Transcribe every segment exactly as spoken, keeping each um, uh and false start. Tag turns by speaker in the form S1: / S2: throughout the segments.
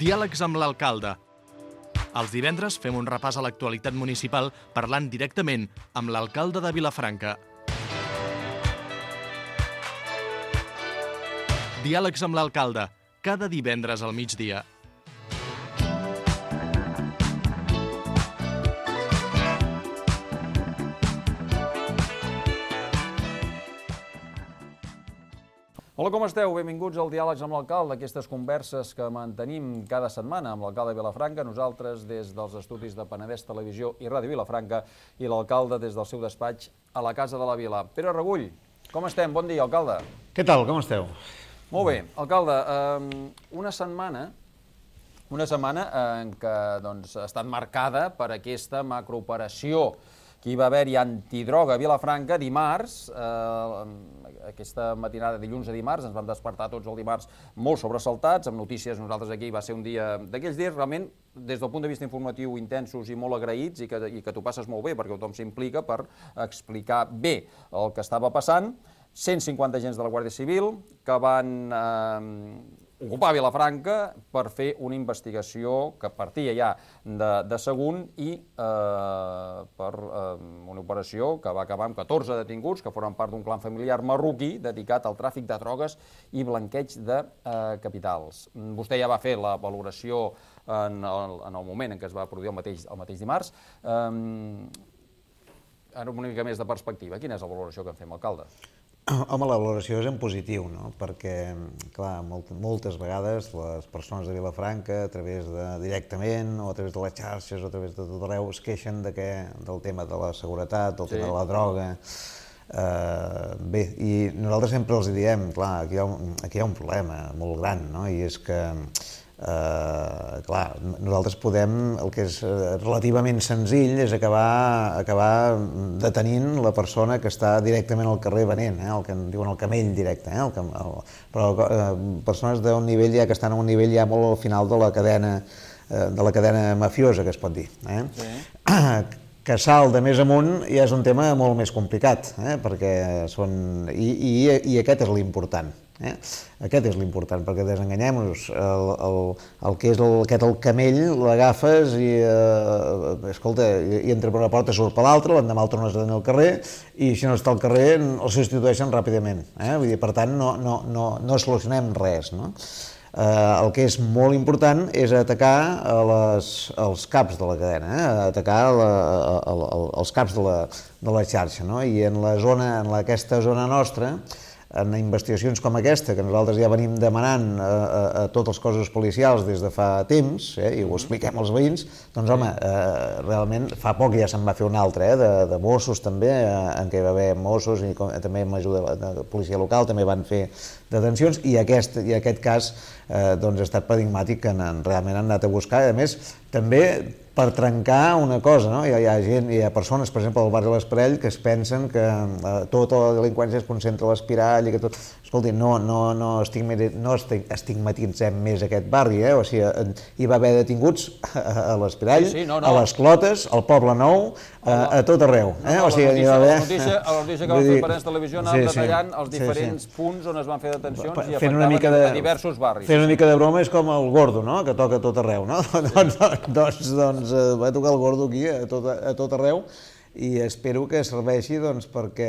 S1: Diàlegs amb l'alcalde. Els divendres fem un repàs a l'actualitat municipal parlant directament amb l'alcalde de Vilafranca. Diàlegs amb l'alcalde, cada divendres al migdia.
S2: Hola, com esteu? Benvinguts al Diàlegs amb l'alcalde, aquestes converses que mantenim cada setmana amb l'alcalde de Vilafranca, nosaltres des dels estudis de Penedès Televisió i Ràdio Vilafranca i l'alcalde des del seu despatx a la Casa de la Vila. Pere Regull, com estem? Bon dia, alcalde.
S3: Què tal, com esteu?
S2: Molt bé, alcalde, una setmana, una setmana en què doncs, ha estat marcada per aquesta macrooperació que hi va haver-hi antidroga a Vilafranca dimarts, eh, aquesta matinada de dilluns a dimarts, ens vam despertar tots el dimarts molt sobresaltats, amb notícies, nosaltres aquí va ser un dia d'aquells dies realment, des del punt de vista informatiu, intensos i molt agraïts i que, i que t'ho passes molt bé perquè tothom s'implica per explicar bé el que estava passant. cent cinquanta agents de la Guàrdia Civil que van eh, ocupar Vilafranca per fer una investigació que partia ja de, de Sagunt i eh, per eh, una operació que va acabar amb catorze detinguts que foren part d'un clan familiar marroquí dedicat al tràfic de drogues i blanqueig de eh, capitals. Vostè ja va fer la valoració en el, en el moment en què es va produir el mateix, el mateix dimarts. Eh, ara una mica més de perspectiva. Quina és la valoració que en fem, alcalde?
S3: Home, la valoració és en positiu, no? Perquè, clar, molt, moltes vegades les persones de Vilafranca, a través de directament, o a través de les xarxes, o a través de tot arreu, es queixen de que, del tema de la seguretat, del sí. tema de la droga. Uh, bé, i nosaltres sempre els diem, clar, aquí hi ha un, aquí hi ha un problema molt gran, no? I és que Uh, clar, nosaltres podem, el que és relativament senzill és acabar, acabar detenint la persona que està directament al carrer venent, eh? El que en diuen el camell directe, eh? el, el, però uh, persones d'un nivell ja que estan a un nivell ja molt al final de la cadena, uh, de la cadena mafiosa, que es pot dir. Eh? Sí. Que salt de més amunt ja és un tema molt més complicat, eh? Perquè són... I, i, i aquest és l'important. Eh? Aquest és l'important, perquè desenganyem-nos, el, el, el que és el, aquest el camell, l'agafes i, eh, escolta, i entra per una porta, surt per l'altra, l'endemà el tornes a tenir al carrer, i si no està al carrer el substitueixen ràpidament. Eh? Vull dir, per tant, no, no, no, no solucionem res, no? Eh, el que és molt important és atacar les, els caps de la cadena, eh? Atacar la, el, el, els caps de la, de la xarxa, no? I en la zona, en aquesta zona nostra, en investigacions com aquesta, que nosaltres ja venim demanant a, a, a tots els cossos policials des de fa temps, eh, i ho expliquem als veïns, doncs home, eh, realment fa poc ja se'n va fer un altre, eh, de, de Mossos també, eh, en què hi va haver Mossos i com, també amb ajuda de la policia local també van fer detencions, i aquest, i aquest cas eh, doncs ha estat paradigmàtic que han, realment han anat a buscar, i a més també per trencar una cosa, no? Hi ha, hi ha gent, hi ha persones, per exemple, al barri de l'Esparell, que es pensen que eh, tota la delinqüència es concentra a l'Espirall i que tot... Escolti, no, no, no, no estigmatitzem més aquest barri, eh? O sigui, hi va haver detinguts a l'Espirall, sí, sí, no, no. A les Clotes, al Poble Nou, a, a tot arreu. Eh?
S2: No, no,
S3: o sigui,
S2: la, notícia,
S3: haver...
S2: la, notícia, la notícia que va fer Penedès Televisió anava sí, detallant els diferents sí, sí. punts on es van fer detencions i afectaven de, a diversos barris.
S3: Fent una mica de broma és com el Gordo, no? Que toca a tot arreu, no? doncs, doncs, doncs va tocar el Gordo aquí a tot, a tot arreu, i espero que serveixi doncs, perquè,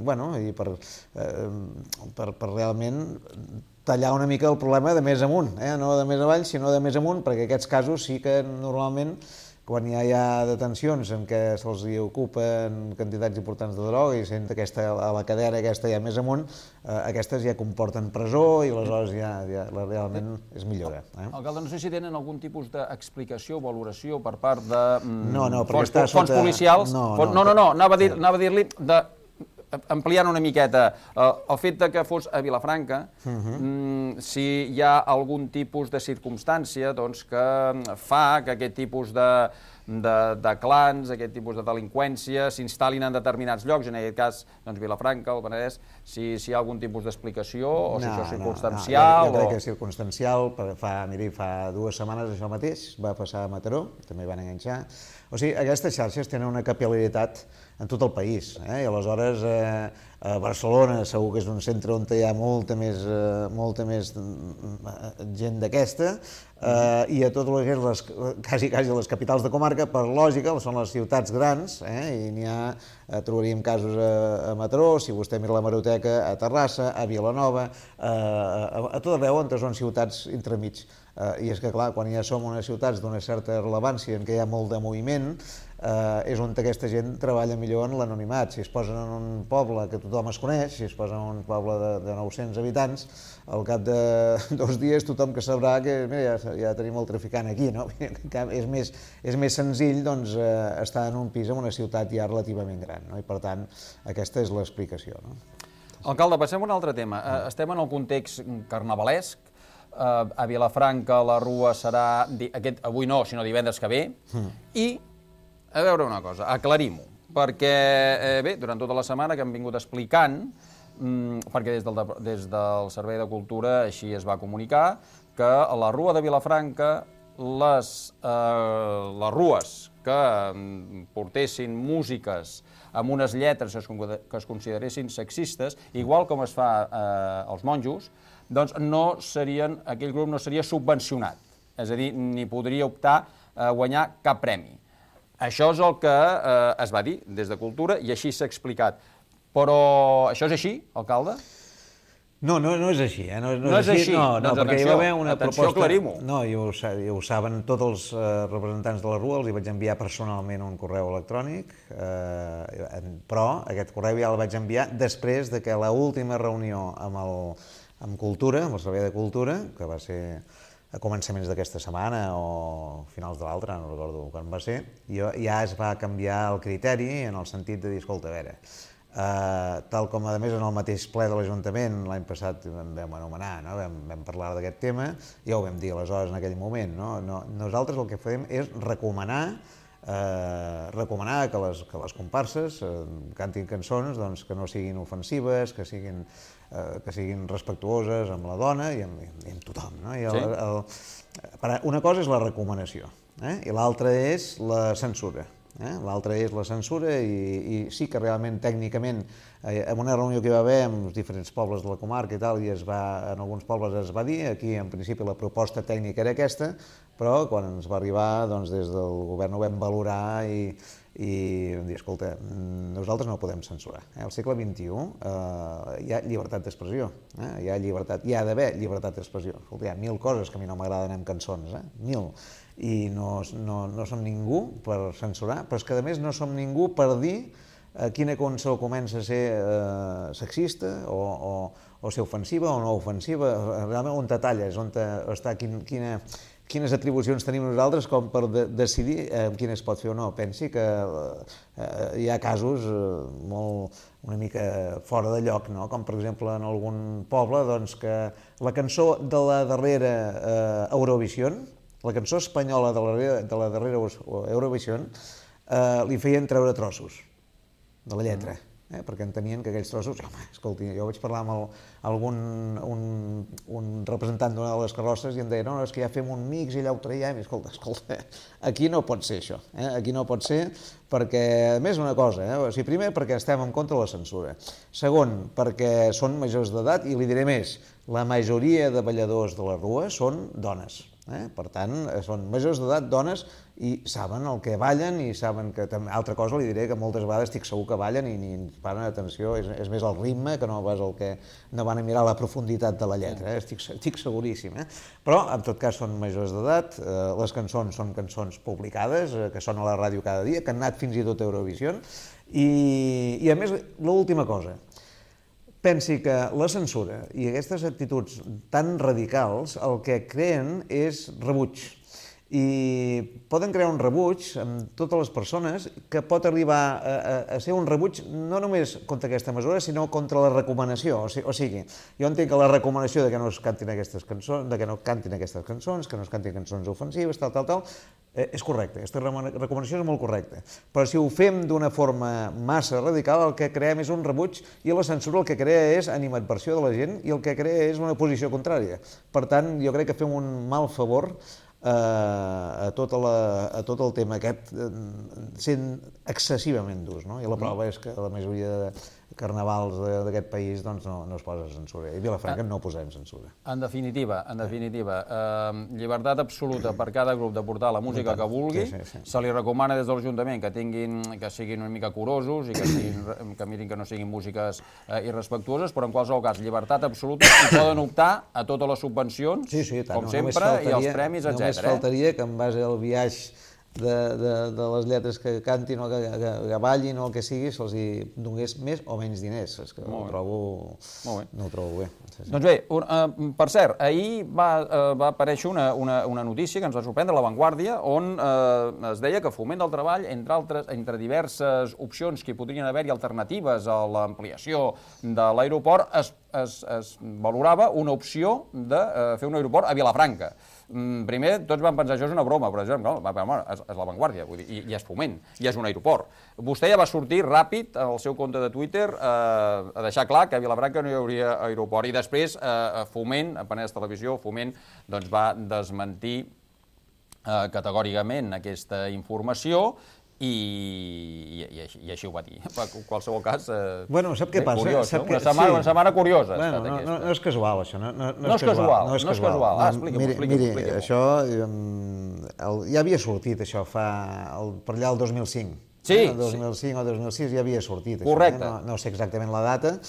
S3: bueno, i per, eh, per, per realment tallar una mica el problema de més amunt, eh? No de més avall, sinó de més amunt, perquè aquests casos sí que normalment, quan ja hi ha detencions en què se'ls ocupen quantitats importants de droga i sent aquesta, a la cadena aquesta ja més amunt, eh, aquestes ja comporten presó i aleshores ja, ja realment és millora. Eh?
S2: Alcalde, no sé si tenen algun tipus d'explicació o valoració per part de mm,
S3: no, no,
S2: fons,
S3: està
S2: fons
S3: sota...
S2: policials.
S3: No,
S2: no, no, no, no anava a dir, anava a dir-li de... ampliant una miqueta, eh, el fet de que fos a Vilafranca, uh-huh. mm, si hi ha algun tipus de circumstància doncs, que fa que aquest tipus de, de, de clans, aquest tipus de delinqüència s'instal·lin en determinats llocs, en aquest cas doncs, Vilafranca, el Penedès, si, si hi ha algun tipus d'explicació o si no, això és circumstancial.
S3: No, no. Jo, jo crec
S2: o...
S3: que és circumstancial, fa, miri, fa dues setmanes això mateix, va passar a Mataró, també van enganxar. O sigui, aquestes xarxes tenen una capil·laritat en tot el país, eh? I aleshores eh, A Barcelona segur que és un centre on hi ha molta més, eh, molta més gent d'aquesta, eh, i a totes les, quasi, quasi les capitals de comarca, per lògica, són les ciutats grans, eh, i n'hi ha, eh, trobaríem casos a, a Mataró, si vostè mira l'hemeroteca, a Terrassa, a Vilanova, eh, a, a tot arreu on són ciutats entremig. Uh, I és que, clar, quan ja som unes ciutats d'una certa rellevància en què hi ha molt de moviment, uh, és on aquesta gent treballa millor en l'anonimat. Si es posen en un poble que tothom es coneix, si es posen en un poble de, de nou-cents habitants, al cap de dos dies tothom que sabrà que mira, ja, ja tenim el traficant aquí, no? És més, és més senzill doncs, uh, estar en un pis en una ciutat ja relativament gran, no? I per tant, aquesta és l'explicació, no?
S2: Alcalde, passem a un altre tema. Uh, estem en el context carnavalesc. Uh, a Vilafranca la rua serà, aquest, avui no, sinó divendres que ve, mm. i, a veure una cosa, aclarim-ho, perquè, eh, bé, durant tota la setmana que hem vingut explicant, mm, perquè des del, des del Servei de Cultura així es va comunicar, que a la rua de Vilafranca, les, eh, les rues que portessin músiques amb unes lletres que es, que es consideressin sexistes, igual com es fa eh, als monjos, doncs no serien, aquell grup no seria subvencionat, és a dir, ni podria optar a guanyar cap premi. Això és el que eh, es va dir des de Cultura i així s'ha explicat. Però això és així, alcalde?
S3: No, no, no és així. Eh? No, no,
S2: no és així,
S3: no, no,
S2: doncs
S3: perquè
S2: atenció,
S3: hi va haver una
S2: atenció,
S3: proposta...
S2: aclarim-ho.
S3: No, jo ho, jo ho saben tots els eh, representants de la rua, els hi vaig enviar personalment un correu electrònic, eh, però aquest correu ja el vaig enviar després de que l'última reunió amb el amb Cultura, amb el Servei de Cultura, que va ser a començaments d'aquesta setmana o finals de l'altra, no recordo quan va ser, jo, ja es va canviar el criteri en el sentit de dir, escolta, a veure, eh, tal com a més en el mateix ple de l'Ajuntament l'any passat vam, vam anomenar, no? vam, vam parlar d'aquest tema, ja ho vam dir aleshores en aquell moment, no? No, nosaltres el que fem és recomanar Eh, recomanar que les, que les comparses eh, cantin cançons doncs, que no siguin ofensives, que siguin, eh, que siguin respectuoses amb la dona i amb, i amb tothom. No? I el, sí. el, una cosa és la recomanació, eh? I l'altra és la censura. Eh? L'altra és la censura i, i sí que realment tècnicament eh, en una reunió que hi va haver amb els diferents pobles de la comarca i tal, i es va, en alguns pobles es va dir, aquí en principi la proposta tècnica era aquesta, però quan ens va arribar doncs, des del govern ho vam valorar i, i vam dir, escolta, nosaltres no podem censurar. Eh? Al segle vint-i-u eh, hi ha llibertat d'expressió, eh? hi ha llibertat, hi ha d'haver llibertat d'expressió. Escolta, hi ha mil coses que a mi no m'agraden en cançons, eh? mil. I no, no, no som ningú per censurar, però és que a més no som ningú per dir eh, quina cançó comença a ser eh, sexista o, o, o ser ofensiva o no ofensiva, realment on te talles, on te, està, quin, quina, quines atribucions tenim nosaltres com per de, decidir eh, quina es pot fer o no. Pensi que eh, hi ha casos eh, molt, una mica fora de lloc, no? Com per exemple en algun poble doncs, que la cançó de la darrera eh, Eurovision, la cançó espanyola de la, de la darrera Eurovision, eh, li feien treure trossos de la lletra, eh, perquè entenien que aquells trossos... Home, escolti, jo vaig parlar amb el, algun un, un representant d'una de les carrosses i em deia, no, no, és que ja fem un mix i allà ho traiem, i escolta, escolta, aquí no pot ser això, eh? Aquí no pot ser perquè, a més, una cosa, eh? O sigui, primer, perquè estem en contra de la censura. Segon, perquè són majors d'edat i li diré més, la majoria de balladors de la rua són dones. Eh? Per tant, són majors d'edat, dones, i saben el que ballen i saben que... Altra cosa li diré que moltes vegades estic segur que ballen i ni ens paren atenció, és, és més el ritme que no vas el que... no van a mirar la profunditat de la lletra, eh? estic, estic seguríssim. Eh? Però, en tot cas, són majors d'edat, eh, les cançons són cançons publicades, eh, que són a la ràdio cada dia, que han anat fins i tot a Eurovision, i, i a més, l'última cosa, pensi que la censura i aquestes actituds tan radicals el que creen és rebuig. I poden crear un rebuig amb totes les persones que pot arribar a, a, a ser un rebuig no només contra aquesta mesura, sinó contra la recomanació. O sigui, o sigui, jo entenc que la recomanació de que no es cantin aquestes cançons, de que no cantin aquestes cançons, que no es cantin cançons ofensives, tal, tal, tal, eh, és correcte, aquesta recomanació és molt correcta. Però si ho fem d'una forma massa radical, el que creem és un rebuig i la censura el que crea és animadversió de la gent i el que crea és una posició contrària. Per tant, jo crec que fem un mal favor a tot, la, a tot el tema aquest sent excessivament durs, no? I la prova és que la majoria de, carnavals d'aquest país, doncs no, no es posa censura. I a Vilafranca no posem censura.
S2: En definitiva, en definitiva, eh, llibertat absoluta per cada grup de portar la música que vulgui.
S3: Sí, sí, sí.
S2: Se li recomana des de l'Ajuntament que tinguin, que siguin una mica curosos i que, siguin, que mirin que no siguin músiques eh, irrespectuoses, però en qualsevol cas, llibertat absoluta, i poden optar a totes les subvencions,
S3: sí, sí, tant,
S2: com
S3: no,
S2: sempre, i els premis, etcètera.
S3: Només faltaria que en base al viatge de, de, de les lletres que cantin o que, que, que ballin o el que sigui, se'ls hi donés més o menys diners. És que ho trobo, no ho trobo bé. Sí, sí.
S2: Doncs bé, un, uh, per cert, ahir va, uh, va aparèixer una, una, una notícia que ens va sorprendre, a La Vanguardia, on uh, es deia que Foment del Treball, entre, altres, entre diverses opcions que hi podrien haver-hi alternatives a l'ampliació de l'aeroport, es, es, es valorava una opció de uh, fer un aeroport a Vilafranca. Primer, tots van pensar, això és una broma, però no, és, és La Vanguardia, vull dir, i, i és Foment, i és un aeroport. Vostè ja va sortir ràpid al seu compte de Twitter eh, a deixar clar que a Vilafranca no hi hauria aeroport, i després eh, Foment, a Penedès Televisió, Foment, doncs va desmentir eh, categòricament aquesta informació, I, i, i, així, i així ho va dir. En qualsevol cas, eh,
S3: bueno, sap què
S2: bé,
S3: passa?
S2: Curiós,
S3: sap
S2: no?
S3: que,
S2: una, setmana,
S3: sí.
S2: una setmana curiosa.
S3: Bueno, no, no, no és casual, això. No, no, no,
S2: no és casual,
S3: no és
S2: no és casual. Ah, expliqui'm,
S3: miri,
S2: expliqui'm,
S3: miri
S2: expliqui'm.
S3: Això el, ja havia sortit, això, fa, el, per allà el dos mil cinc.
S2: Sí.
S3: Eh? El dos mil cinc o dos mil sis ja havia sortit.
S2: Correcte.
S3: Això, eh? no, no sé exactament la data.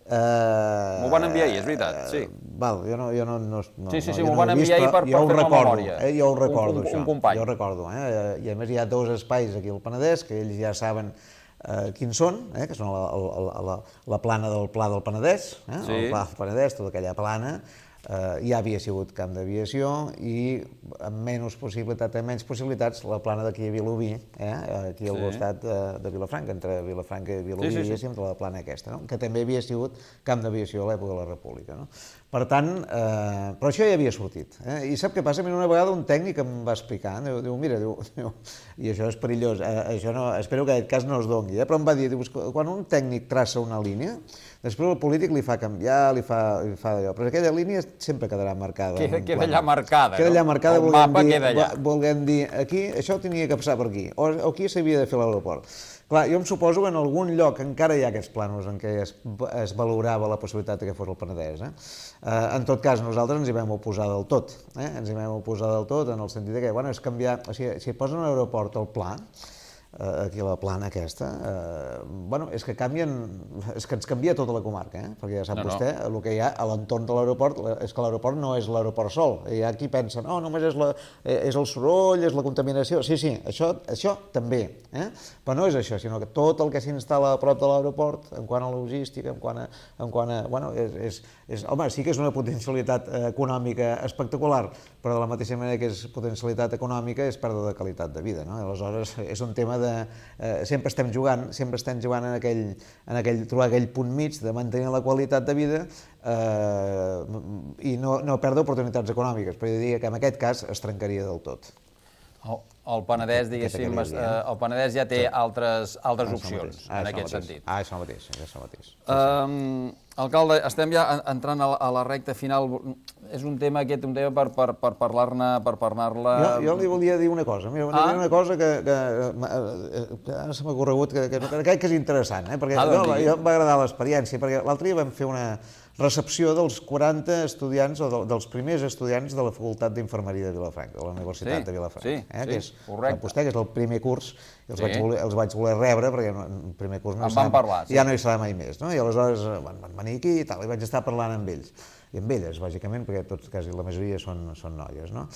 S2: Uh, M'ho van enviar ahir, és veritat, sí.
S3: Val, jo no, jo no, no, no,
S2: sí, sí, sí,
S3: no,
S2: m'ho van enviar ahir per, per fer la memòria.
S3: Eh, jo ho recordo,
S2: un, un,
S3: això.
S2: Un company.
S3: Jo ho recordo, eh? I a més hi ha dos espais aquí al Penedès, que ells ja saben eh, quins són, eh? Que són la, la, la, la plana del Pla del Penedès, eh?
S2: Sí.
S3: El Pla del Penedès, tota aquella plana, eh, ja havia sigut camp d'aviació i amb menys possibilitat, amb menys possibilitats, la plana d'aquí a Vilobí, eh? Aquí al sí. costat de, de Vilafranca, entre Vilafranca i Vilobí, sí, sí, sí. la plana aquesta, no? Que també havia sigut camp d'aviació a l'època de la República. No? Per tant, eh, però això ja havia sortit. Eh? I sap què passa? A mi una vegada un tècnic em va explicar, diu, diu mira, diu, diu, i això és perillós, eh, això no, espero que aquest cas no es doni, eh? Però em va dir, diu, quan un tècnic traça una línia, després el polític li fa canviar, li fa, li fa d'allò, però aquella línia sempre quedarà marcada.
S2: Queda, queda allà marcada,
S3: queda allà marcada,
S2: el mapa dir, queda allà.
S3: Volguem dir, aquí això tenia que passar per aquí, o, o aquí s'havia de fer l'aeroport. Clar, jo em suposo que en algun lloc encara hi ha aquests plànols en què es, es valorava la possibilitat que fos el Penedès. Eh? Eh, en tot cas, nosaltres ens hi vam oposar del tot. Eh? Ens hi vam oposar del tot en el sentit que, bueno, és canviar... O sigui, si posen un aeroport al pla, eh, aquí a la plana aquesta, eh, bueno, és que canvien... És que ens canvia tota la comarca, eh? Perquè ja sap no, vostè, no. el que hi ha a l'entorn de l'aeroport, és que l'aeroport no és l'aeroport sol. Hi ha qui pensa, no, només és, la, és el soroll, és la contaminació. Sí, sí, això, això també. Eh? Però no és això, sinó que tot el que s'instal·la a prop de l'aeroport, en quant a logística, en quant a... En quant a bueno, és, és, és, home, sí que és una potencialitat econòmica espectacular, però de la mateixa manera que és potencialitat econòmica és pèrdua de qualitat de vida. No? Aleshores, és un tema de... Eh, sempre estem jugant, sempre estem jugant en aquell, en aquell, trobar aquell punt mig de mantenir la qualitat de vida eh, i no, no perdre oportunitats econòmiques, però jo diria que en aquest cas es trencaria del tot.
S2: El, el Penedès, diguéssim, eh, el Penedès ja té sí. altres, altres ah, opcions ah, en aquest
S3: mateix.
S2: sentit.
S3: Ah, això mateix, això mateix. Sí,
S2: um,
S3: sí.
S2: Alcalde, estem ja entrant a la, a la recta final. És un tema aquest, un tema per, per, per parlar-ne... Per parlar-la...
S3: Jo, jo li volia dir una cosa. Mira, ah? una cosa que, que, que ara se m'ha corregut, que, que, que crec que és interessant, eh? Perquè ah, doncs, no, jo em va agradar l'experiència, perquè l'altre dia vam fer una recepció dels quaranta estudiants, o de, dels primers estudiants de la Facultat d'Infermeria de Vilafranca, de la Universitat
S2: sí,
S3: de Vilafranca.
S2: Sí,
S3: eh?
S2: sí,
S3: que és,
S2: correcte.
S3: Vostè, que és el primer curs, i els, sí. vaig, voler, els vaig voler rebre, perquè el primer curs no
S2: em van parlar, sí.
S3: ja no hi serà mai més. No? I aleshores van, van venir aquí i tal, i vaig estar parlant amb ells. I amb elles, bàsicament, perquè tots, quasi la majoria són, són noies, no?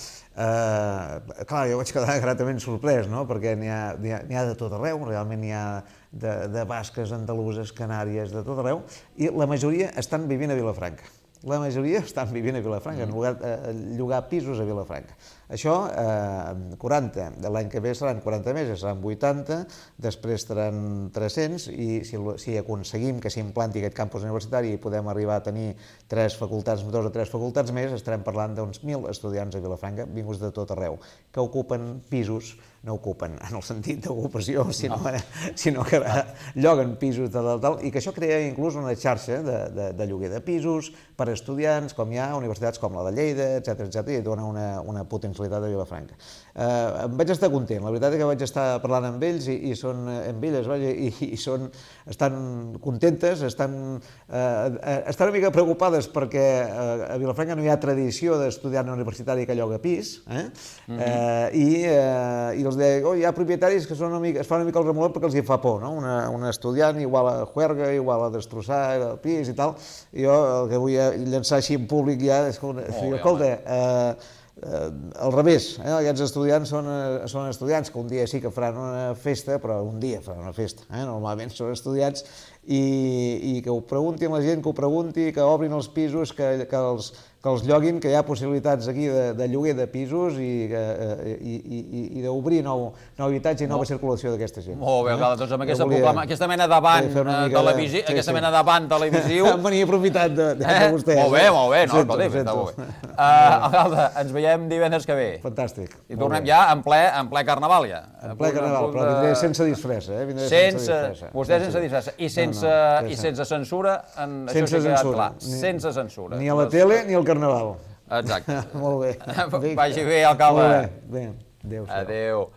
S3: Eh, clar, jo vaig quedar gratament sorprès, no? Perquè n'hi ha, n'hi ha, n'hi ha de tot arreu, realment n'hi ha de, de basques, andaluses, canàries, de tot arreu, i la majoria estan vivint a Vilafranca. La majoria estan vivint a Vilafranca, han llogat, eh, llogar pisos a Vilafranca. Això, eh, quaranta, l'any que ve seran quaranta més, seran vuitanta, després seran tres-cents, i si, si aconseguim que s'implanti aquest campus universitari i podem arribar a tenir tres facultats, dos o tres facultats més, estarem parlant d'uns mil estudiants a Vilafranca, vinguts de tot arreu, que ocupen pisos no ocupen en el sentit d'ocupació, sinó, sinó que lloguen pisos de tal, tal, i que això crea inclús una xarxa de, de, de lloguer de pisos per a estudiants, com hi ha a universitats com la de Lleida, etcètera, etcètera, i dona una, una potencialitat a Vilafranca. Eh, em vaig estar content, la veritat és que vaig estar parlant amb ells i, i són amb elles, vaja, i, i són, estan contentes, estan, eh, estan una mica preocupades perquè eh, a Vilafranca no hi ha tradició d'estudiant universitari que lloga pis, eh? Mm-hmm. eh, i, eh, i els deia, oh, hi ha propietaris que són una mica, es fan una mica el remolot perquè els hi fa por, no? Una, una estudiant igual a juerga, igual a destrossar el pis i tal, i jo el que vull llançar així en públic ja és que, oh, escolta, eh, eh, al revés, eh? Aquests estudiants són, són estudiants que un dia sí que faran una festa, però un dia faran una festa, eh? Normalment són estudiants i, i que ho preguntin la gent, que ho pregunti, que obrin els pisos, que, que els que els lloguin, que hi ha possibilitats aquí de, de lloguer de pisos i, i, i, i d'obrir nou, nou habitatge i nova circulació d'aquesta gent.
S2: Molt bé, eh? Doncs amb aquesta, volia, proclama, aquesta mena d'avant televisiu, sí, aquesta sí. mena d'avant televisiu...
S3: Em venia aprofitat de, de, de vostè.
S2: Molt bé, molt bé, no, sento, escolti, està molt bé. Uh, Alcalde, ens veiem divendres que ve.
S3: Fantàstic.
S2: I tornem ja en ple, en ple carnaval, ja.
S3: En ple carnaval, però vindré sense disfressa, eh? Vindré
S2: sense, sense disfressa. Vostè sense disfressa. I sense, no, no, i sense censura, en,
S3: sense
S2: això sí que ha quedat clar.
S3: Ni,
S2: sense censura.
S3: Ni a la tele ni al carnaval.
S2: Exacte.
S3: Molt bé.
S2: Vagi bé, alcalde.
S3: Molt bé. Bé. Adéu.
S2: Adéu.